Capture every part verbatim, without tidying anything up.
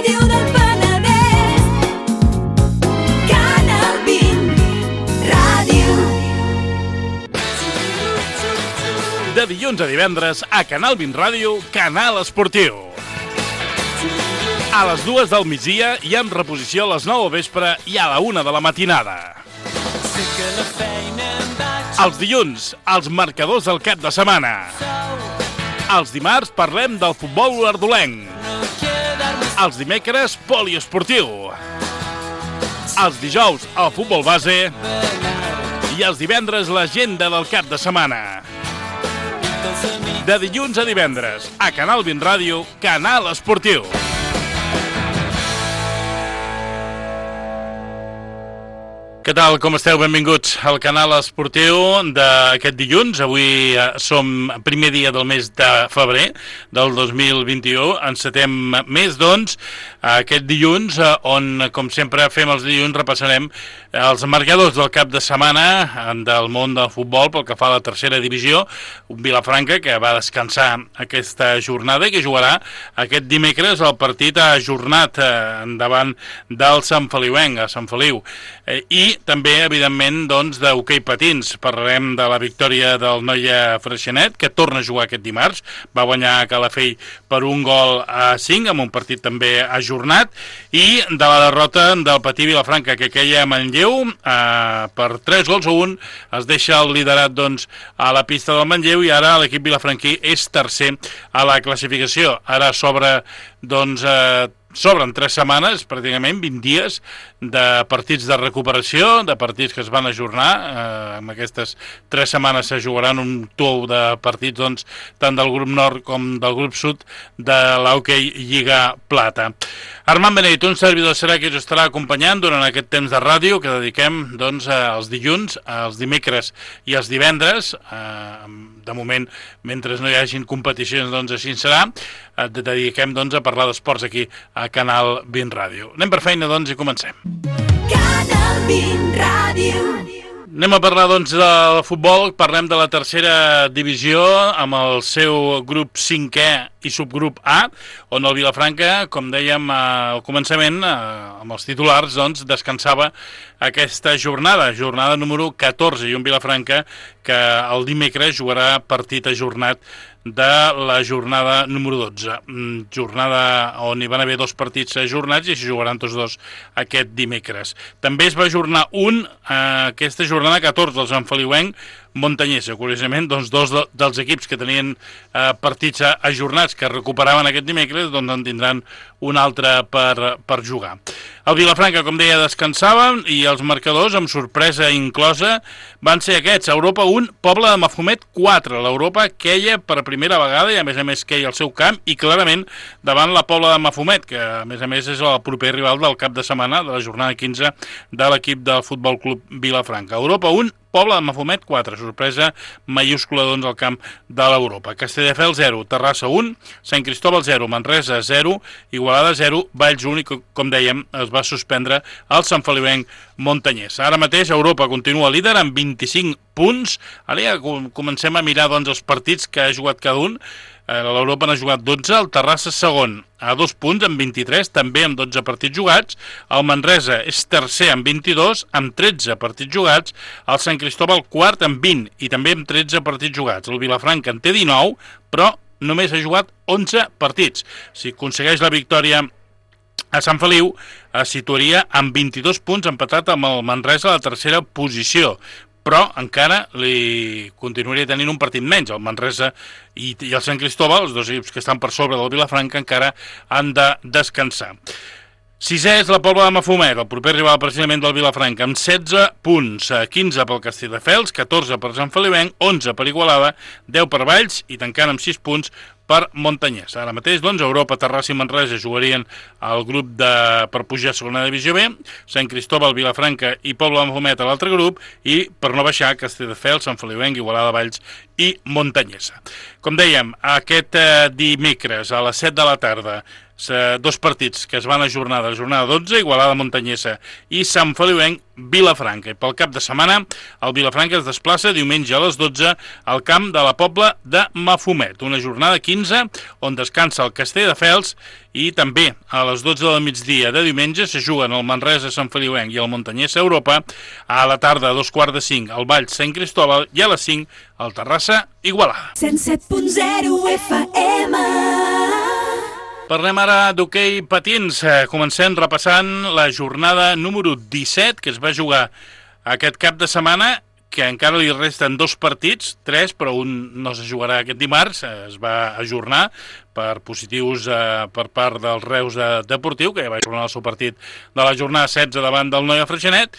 Ràdio del Penedès, Canal vint Ràdio. De dilluns a divendres, a Canal vint Ràdio, Canal Esportiu. A les dues del migdia i amb reposició a les nou al vespre i a la una de la matinada. Els dilluns, els marcadors del cap de setmana. Els dimarts parlem del futbol ardolenc. Els dimecres, poliesportiu. Els dijous, el futbol base. I els divendres, l'agenda del cap de setmana. De dilluns a divendres, a Canal vint Ràdio, Canal Esportiu. Què tal, com esteu? Benvinguts al Canal Esportiu d'aquest dilluns. Avui som primer dia del mes de febrer del dos mil vint-i-u. Encetem mes, doncs, aquest dilluns, on, com sempre fem els dilluns, repassarem els marcadors del cap de setmana del món del futbol pel que fa a la tercera divisió. Un Vilafranca que va descansar aquesta jornada i que jugarà aquest dimecres el partit ajornat davant del Sant Feliuenc, a Sant Feliu. I també, evidentment, doncs, d'hoquei patins. Parlarem de la victòria del Noia Freixenet, que torna a jugar aquest dimarts. Va guanyar a Calafell per un gol a cinc, amb un partit també ajornat. I de la derrota del Patí Vilafranca, que queia a Manlleu, eh, per tres gols a un. Es deixa el liderat, doncs, a la pista del Manlleu i ara l'equip vilafranquí és tercer a la classificació. Ara s'obre, doncs, eh, S'obren tres setmanes, pràcticament vint dies, de partits de recuperació, de partits que es van ajornar. Eh, en aquestes tres setmanes se jugaran un tou de partits, doncs, tant del grup nord com del grup sud de l'hoquei Lliga Plata. Armand Beneit, un servidor serà qui us estarà acompanyant durant aquest temps de ràdio que dediquem, doncs, als dilluns, als dimecres i als divendres. Eh, de moment, mentre no hi hagin competicions, doncs així serà. Eh, dediquem, doncs, a parlar d'esports aquí a Canal vint Ràdio. Anem per feina, doncs, i comencem. Canal vint Ràdio. Anem a parlar, doncs, del futbol. Parlem de la tercera divisió amb el seu grup cinquè i subgrup A, on el Vilafranca, com dèiem al començament, amb els titulars, doncs, descansava aquesta jornada, jornada número catorze, i un Vilafranca que el dimecres jugarà partit ajornat de la jornada número dotze. Jornada on hi van haver dos partits ajornats i s'hi jugaran tots dos aquest dimecres. També es va ajornar un, eh, aquesta jornada catorze, el Sant Feliuenc Montanyesa. Curiosament, doncs, dos de, dels equips que tenien eh, partits ajornats que recuperaven aquest dimecres, doncs en tindran un altre per, per jugar. El Vilafranca, com deia, descansava i els marcadors, amb sorpresa inclosa, van ser aquests. Europa un, Pobla de Mafumet quatre. L'Europa queia per primera vegada i a més a més queia al seu camp i clarament davant la Pobla de Mafumet, que a més a més és el proper rival del cap de setmana de la jornada quinze de l'equip del Futbol Club Vilafranca. Europa un, Pobla de Mafumet quatre, sorpresa mayúscula, doncs, al camp de l'Europa. Castelldefels zero, Terrassa un, Sant Cristòbal zero, Manresa zero, Igualada zero, Valls un, i com dèiem es va suspendre el Sant Feliuenc Montanyès. Ara mateix Europa continua líder amb vint-i-cinc punts. Ara ja comencem a mirar, doncs, els partits que ha jugat cada un. L'Europa n'ha jugat dotze, el Terrassa segon a dos punts amb vint-i-tres, també amb dotze partits jugats. El Manresa és tercer amb vint-i-dos, amb tretze partits jugats. El Sant Cristòbal quart amb vint i també amb tretze partits jugats. El Vilafranca en té dinou, però només ha jugat onze partits. Si aconsegueix la victòria a Sant Feliu, es situaria amb vint-i-dos punts, empatat amb el Manresa a la tercera posició. Però encara li continuaria tenint un partit menys. El Manresa i, i el Sant Cristòbal, els dos equips que estan per sobre del Vilafranca, encara han de descansar. Sisè és la Pobla de Mafumet, el proper rival precisament del Vilafranca, amb setze punts, quinze pel Castelldefels, catorze per Sant Feliuenc, onze per Igualada, deu per Valls i tancant amb sis punts per Montanyès. Ara mateix, doncs, Europa, Terrassa i Manresa jugarien el grup de, per pujar a segona divisió B, Sant Cristòbal, Vilafranca i Pobla de Mafumet a l'altre grup, i per no baixar, Castelldefels, Sant Feliuenc, Igualada, Valls i Montanyesa. Com dèiem, aquest eh, dimecres a les set de la tarda dos partits que es van ajornar de la jornada dotze, Igualada Montanyesa i Sant Feliuenc Vilafranca. I pel cap de setmana, el Vilafranca es desplaça diumenge a les dotze al camp de la Pobla de Mafumet. Una jornada quinze on descansa el Castelldefels i també a les dotze del migdia de diumenge se juguen el Manresa Sant Feliuenc i el Montanyesa Europa. A la tarda, a dos quarts de cinc, el Valls Sant Cristòbal i a les cinc, el Terrassa Igualada. cent set punt zero F M. Parlem ara d'hoquei patins. Comencem repassant la jornada número disset que es va jugar aquest cap de setmana, que encara li resten dos partits, tres, però un no se jugarà aquest dimarts, es va ajornar per positius eh, per part del Reus Deportiu, que ja va ajornar el seu partit de la jornada setze davant del Noia Freixenet.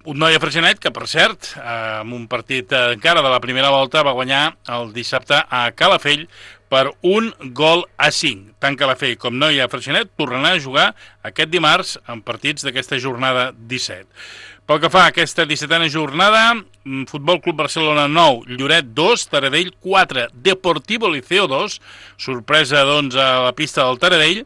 Un Noia Freixenet que, per cert, eh, amb un partit eh, encara de la primera volta, va guanyar el dissabte a Calafell per un gol a cinc. Tant Calafell com Noia Freixenet tornaran a jugar aquest dimarts en partits d'aquesta jornada disset. Pel que fa a aquesta dissetena jornada, Futbol Club Barcelona nou, Lloret dos, Taradell quatre, Deportivo Liceo dos, sorpresa doncs a la pista del Taradell,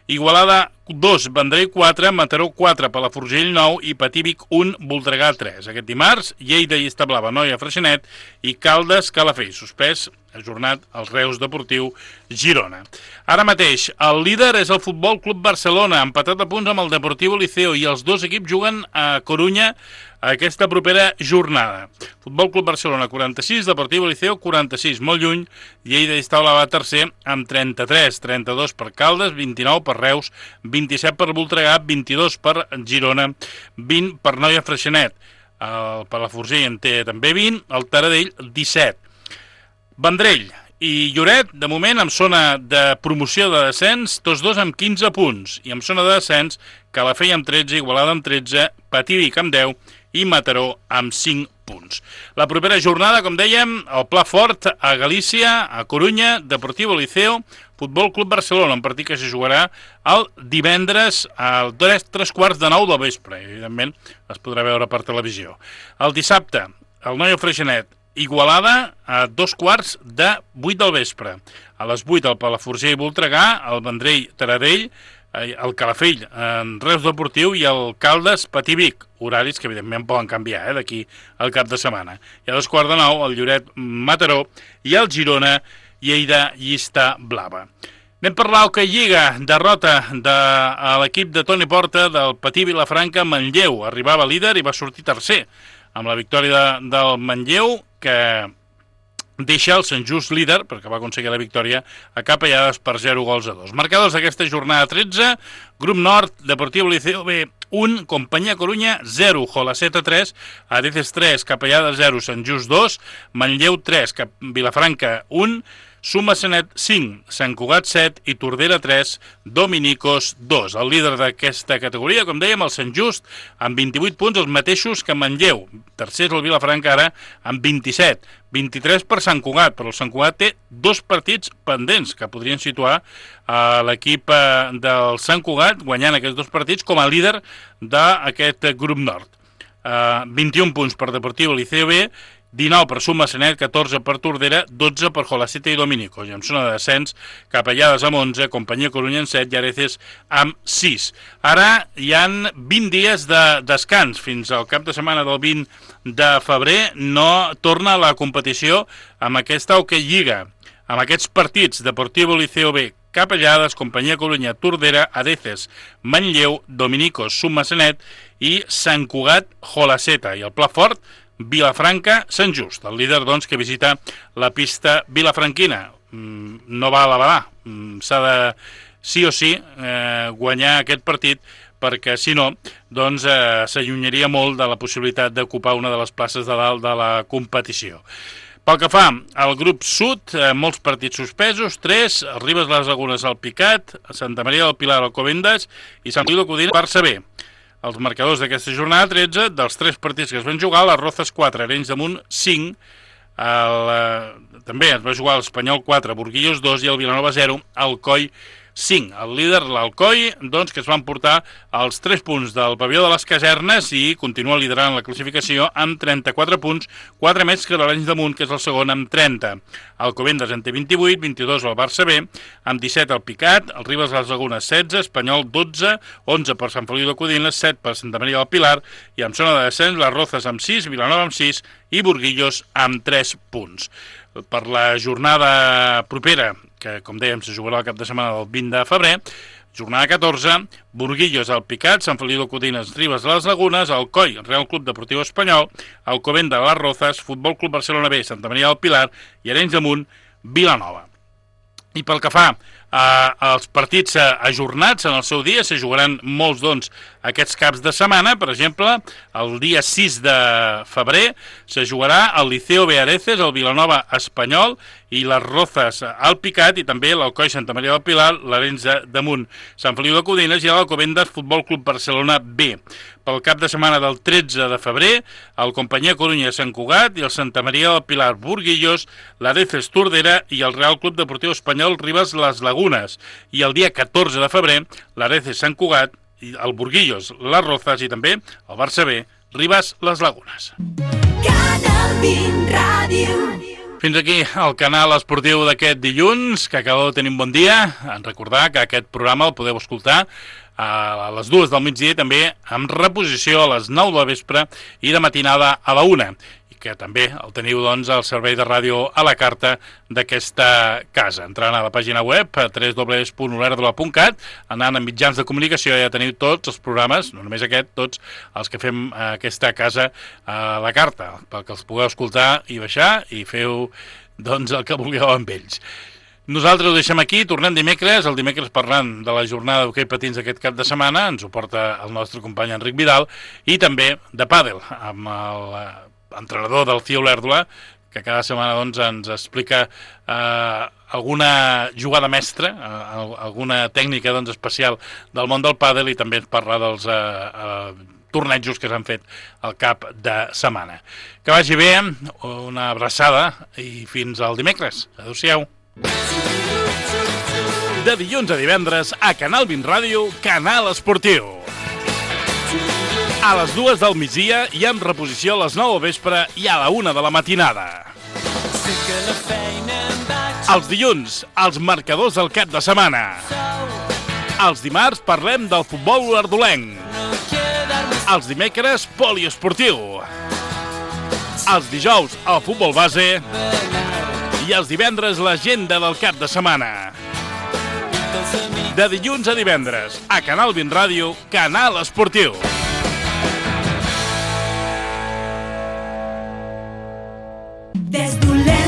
Igualada dos, Vendrell quatre, Mataró quatre, Palafrugell nou i Patívic un, Voltregà tres. Aquest dimarts, Lleida i Establava, Noia Freixenet i Caldes Calafell, suspès, ajornat el Reus Deportiu Girona. Ara mateix, el líder és el Futbol Club Barcelona, empatat a punts amb el Deportivo Liceo, i els dos equips juguen a Corunya aquesta propera jornada. Futbol Club Barcelona quaranta-sis, Deportivo Liceo quaranta-sis, molt lluny. Lleida i Establava tercer amb trenta-tres, trenta-dos per Caldes, vint-i-nou per Reus, vint-i-set per Voltregà, vint-i-dos per Girona, vint per Noia Freixenet. El Palafrugell en té també vint, el Taradell disset. Vendrell i Lloret, de moment, en zona de promoció de descens, tots dos amb quinze punts, i en zona de descens, Calafell amb tretze, Igualada amb tretze, Patívic amb deu i Mataró amb cinc punts. La propera jornada, com dèiem, el Pla Fort a Galícia, a Corunya, Deportivo Liceo, Futbol Club Barcelona, un partit que se jugarà el divendres a tres, tres quarts de nou del vespre. Evidentment, es podrà veure per televisió. El dissabte, el Noia Freixenet, Igualada a dos quarts de vuit del vespre. A les vuit el Palafrugell i Voltregà, el Vendrell Taradell, el Calafell en Reus Deportiu i el Caldes Patívic. Horaris que evidentment poden canviar eh, d'aquí al cap de setmana. I a dos quarts de nou el Lloret Mataró i el Girona Lleida Llista Blava. Anem per l'Hoquei Lliga, derrota de l'equip de Toni Porta del Patí Vilafranca Manlleu. Arribava líder i va sortir tercer amb la victòria de, del Manlleu, que deixa el Sant Just líder, perquè va aconseguir la victòria a Capellades per zero gols a dos. Marcadors d'aquesta jornada tretze, Grup Nord, Deportivo Liceo B un, Companyia Corunya zero, Jolaceta tres, Areces tres, Capellades zero, Sant Just dos, Manlleu tres, Vilafranca un, Sumassanet cinc, Sant Cugat set i Tordera tres, Dominicos dos. El líder d'aquesta categoria, com dèiem, el Sant Just, amb vint-i-vuit punts, els mateixos que Manlleu. Tercer és el Vilafranca ara amb vint-i-set, vint-i-tres per Sant Cugat, però el Sant Cugat té dos partits pendents que podrien situar a l'equip del Sant Cugat guanyant aquests dos partits com a líder d'aquest grup nord. Uh, vint-i-un punts per Deportivo Liceo B, dinou per Sumassanet, catorze per Tordera, dotze per Jolaceta i Dominico. I en zona de descens, Capellades amb onze, Companyia Corunya amb set i Areces amb sis. Ara hi han vint dies de descans. Fins al cap de setmana del vint de febrer no torna la competició amb aquesta Hoquei Lliga. Amb aquests partits, Deportivo Liceo B, Capellades, Companyia Corunya, Tordera, Areces, Manlleu, Dominicos, Sumassanet i Sant Cugat, Jolaceta. I el Pla Fort, Vilafranca, Sant Just, el líder doncs que visita la pista vilafranquina. No va a la Badà, s'ha de sí o sí eh, guanyar aquest partit, perquè si no doncs eh, s'allunyaria molt de la possibilitat d'ocupar una de les places de dalt de la competició. Pel que fa al grup sud, eh, molts partits suspesos, tres, Ribes les Lagunes al Picat, Santa Maria del Pilar al Covendas i Sant Feliu de Codina al Barça B. Els marcadors d'aquesta jornada tretze, dels tres partits que es van jugar, les Rozas quatre, Arenys de Munt cinc, el, eh, també es va jugar l'Espanyol quatre, Burguillos dos i el Vilanova zero, Alcoi cinc. El líder, l'Alcoi, doncs, que es van portar els tres punts del pavelló de les Casernes i continua liderant la classificació amb trenta-quatre punts, quatre més que l'Arenys de Munt, que és el segon, amb trenta. Alcobendas en té vint-i-vuit, vint-i-dos el Barça B, amb disset el Picat, el Ribes de les Lagunes setze, Espanyol dotze, onze per Sant Feliu de Codines, set per Santa Maria del Pilar i amb zona de descens les Rozas amb sis, Vilanova amb sis i Burguillos amb tres punts. Per la jornada propera, que com dèiem se jugarà el cap de setmana del vint de febrer, jornada catorze, Burguillos, el Picat, Sant Feliu de Codines, Ribes de les Lagunes, Alcoi, Real Club Deportiu Espanyol, Alcobendas, les Rozas, Futbol Club Barcelona B, Santa Maria del Pilar i Arenys de Munt, Vilanova. I pel que fa als partits ajornats en el seu dia, se jugaran molts doncs aquests caps de setmana. Per exemple, el dia sis de febrer se jugarà el Liceo Beareces, el Vilanova Espanyol i les Rozas al Picat i també l'Alcoi Santa Maria del Pilar, l'Arenys de Munt, Sant Feliu de Codines i l'Alcobendas Futbol Club Barcelona B. Pel cap de setmana del tretze de febrer, el Companyia Corunya Sant Cugat i el Santa Maria del Pilar Burguillos, l'Areces Tordera i el Real Club Deportiu Espanyol Ribes les Lagunes. I el dia catorze de febrer, l'Areces Sant Cugat, el Burguillos, les Rozas i també el Barça B, Ribes les Lagunes. Canal vint Ràdio. Fins aquí el canal esportiu d'aquest dilluns, que acabeu de tenir un bon dia. En recordar que aquest programa el podeu escoltar a les dues del migdia i també amb reposició a les nou del vespre i de matinada a la una. I que també el teniu doncs al servei de ràdio a la carta d'aquesta casa. Entrant a la pàgina web w w w punt olèrdola punt cat, anant a mitjans de comunicació ja teniu tots els programes, no només aquest, tots els que fem a aquesta casa a la carta, perquè els pugueu escoltar i baixar i feu doncs el que vulgueu amb ells. Nosaltres ho deixem aquí, tornem dimecres, el dimecres parlant de la jornada d'hoquei patins d'aquest cap de setmana, ens ho porta el nostre company Enric Vidal, i també de pàdel, amb l'entrenador del C I O Olèrdola, que cada setmana doncs, ens explica eh, alguna jugada mestra, eh, alguna tècnica doncs, especial del món del pàdel i també ens parla dels eh, eh, tornejos que s'han fet al cap de setmana. Que vagi bé, una abraçada i fins al dimecres. Adéu-siau. De dilluns a divendres a Canal vint Ràdio, Canal Esportiu. A les dues del migdia i amb reposició a les nou del vespre i a la una de la matinada. Els dilluns, els marcadors del cap de setmana. Els dimarts parlem del futbol olèrdolenc. Els dimecres, poliesportiu. Els dijous, el futbol base. I els divendres, l'agenda del cap de setmana. De dilluns a divendres, a Canal vint Ràdio, Canal Esportiu. Des d'Olèrdola